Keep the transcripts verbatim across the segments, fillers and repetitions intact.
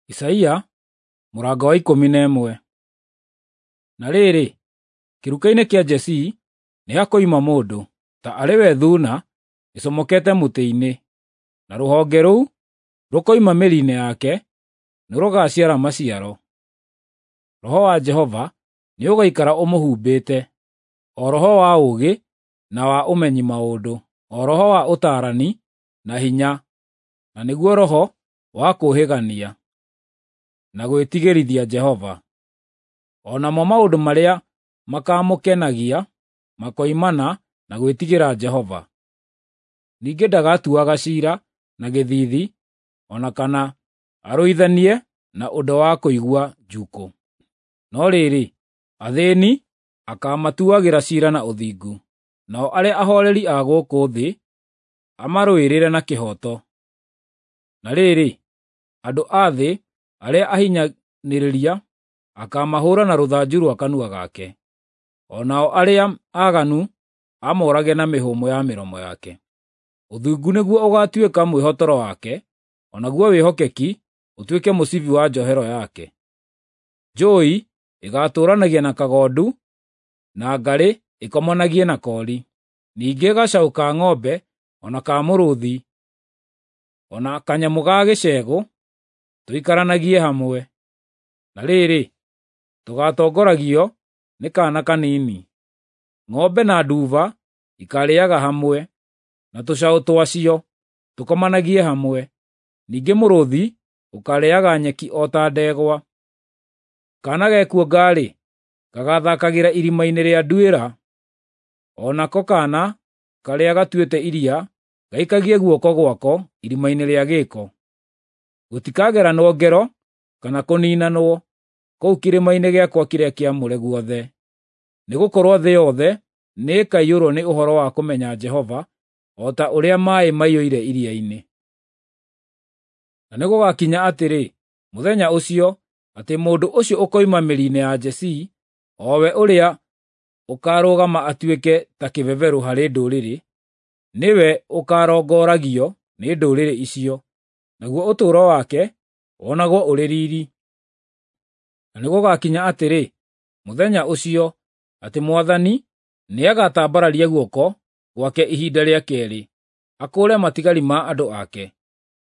Isaia mũrango wa ikũmi na ĩmwe. Na rĩrĩ, kĩruka-inĩ kĩa Jesii nĩhakoima mũndũ, ta arĩ we thuuna ĩcomokete mũtĩ-inĩ, na rũhonge rũu rũkoima mĩri-inĩ yake nĩrũgaciara maciaro. Roho wa Jehova nĩũgaikara ũmũhumbĩte, o roho wa ũũgĩ na wa ũmenyi maũndũ, o roho wa ũtaarani na hinya, na nĩguo roho wa kũũhĩgania na gwĩtigĩrithia Jehova. O namo maũndũ marĩa makamũkenagia makoimana na gwĩtigĩra Jehova. Ningĩ ndagatuaga ciira na gĩthiithi, o na kana arũithanie na ũndũ wa kũigua njuukũ. No rĩrĩ, athĩĩni akaamatuagĩra ciira na ũthingu, nao arĩa ahooreri a gũkũ thĩ amarũĩrĩre na kĩhooto. Na rĩrĩ, andũ a thĩ arĩa ahinyanĩrĩria akaamahũũra na rũthanju rwa kanua gake, o nao arĩa aaganu amoorage na mĩhũmũ ya mĩromo yake. Ũthingu nĩguo ũgaatuĩka mwĩhotoro wake, o naguo wĩhokeki ũtuĩke mũcibi wa njohero yake. Njũũi ĩgaatũũranagia na kagondu, na ngarĩ ĩkomanagie na koori. Ningĩ gacaũ ka ng'ombe o na ka mũrũũthi, o na kanyamũ ga gĩcegũ tũikaranagie hamwe. Na rĩrĩ, tũgaatongoragio nĩ kaana kanini. Ng'ombe na nduba ikaarĩĩaga hamwe, na tũcaũ twacio tũkomanagie hamwe. Ningĩ mũrũũthi ũkaarĩĩaga nyeki o ta ndegwa. Kaana gekuonga-rĩ, gagaathaakagĩra irima-inĩ rĩa nduĩra, o nako kaana karĩa gatuĩte iria gaikagie guoko gwako irima-inĩ rĩa gĩko. Gũtikageranwo ngero kana kũniinanwo kũu kĩrĩma-inĩ gĩakwa kĩrĩa kĩamũre guothe, nĩgũkorwo thĩ yothe nĩĩkaiyũrwo nĩ ũhoro wa kũmenya Jehova, o ta ũrĩa maaĩ maiyũire iria-inĩ. Na nĩgũgakinya atĩrĩ, mũthenya ũcio, atĩ mũndũ ũcio ũkoima mĩri-inĩ ya Jesii, o we ũrĩa ũkaarũgama atuĩke ta kĩbeberũ harĩ ndũrĩrĩ, nĩwe ũkaarongoragio nĩ ndũrĩrĩ icio, naguo ũtũũro wake wonagwo ũrĩ riiri. Na nĩgũgakinya atĩrĩ, mũthenya ũcio, atĩ Mwathani nĩagatambararia guoko gwake ihinda rĩa keerĩ, akũũre matigari ma andũ ake,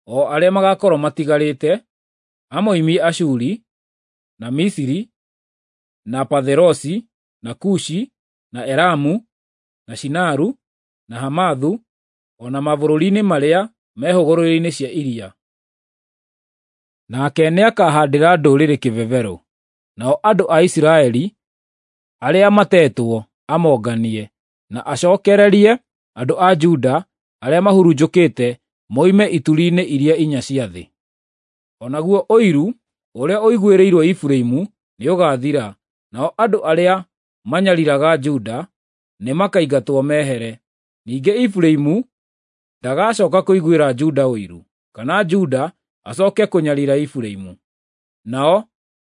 o arĩa magaakorwo matigarĩte, amoimie Ashuri, na Misiri, na Patherosi, na Kushi, na Elamu, na Shinaru, na Hamathu, o na mabũrũri-inĩ marĩa me hũgũrũrũ-inĩ cia iria. Nake nĩakahaandĩra ndũrĩrĩ kĩbeberũ, nao andũ a Isiraeli arĩa matetwo amonganie, na acookererie andũ a Juda arĩa mahurunjũkĩte moime ituri-inĩ iria inya cia thĩ. O naguo ũiru ũrĩa ũiguĩrĩirwo Efiraimu nĩũgaathira, nao andũ arĩa manyariiraga Juda nĩmakaingatwo mehere. Ningĩ Efiraimu ndagacooka kũiguĩra Juda ũiru, kana Juda acooke kũnyariira Efiraimu. Nao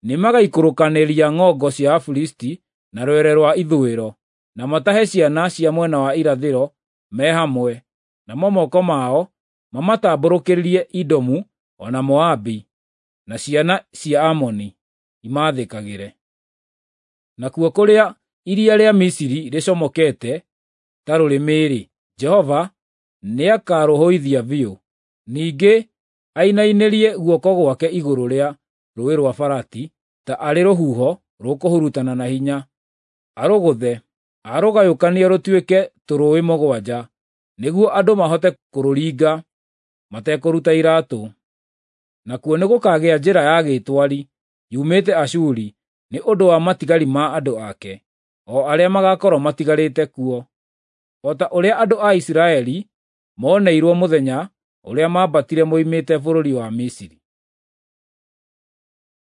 nĩmagaikũrũkanĩria ng'ongo cia Afilisti na rwere rwa ithũĩro, na matahe ciana cia mwena wa irathĩro me hamwe, namo moko mao mamatambũrũkĩrie Edomu o na Moabi, na ciana cia Amoni imaathĩkagĩre. Nakuo kũrĩa iria rĩa Misiri rĩcomokete ta rũrĩmĩ-rĩ, Jehova nĩakarũhũithia biũ. Ningĩ ainainĩrie guoko gwake igũrũ rĩa Rũũĩ rwa Farati ta arĩ rũhuho rũkũhurutana na hinya, arũgũthe, arũgayũkanie rũtuĩke tũrũũĩ mũgwanja, nĩguo andũ mahote kũrũringa matekũruta iraatũ. Nakuo nĩgũkagĩa njĩra ya gĩtwari yumĩte Ashuri nĩ ũndũ wa matigari ma andũ ake, o arĩa magaakorwo matigarĩte kuo, o ta ũrĩa andũ a Isiraeli mooneirwo mũthenya ũrĩa maambatire moimĩte bũrũri wa Misiri.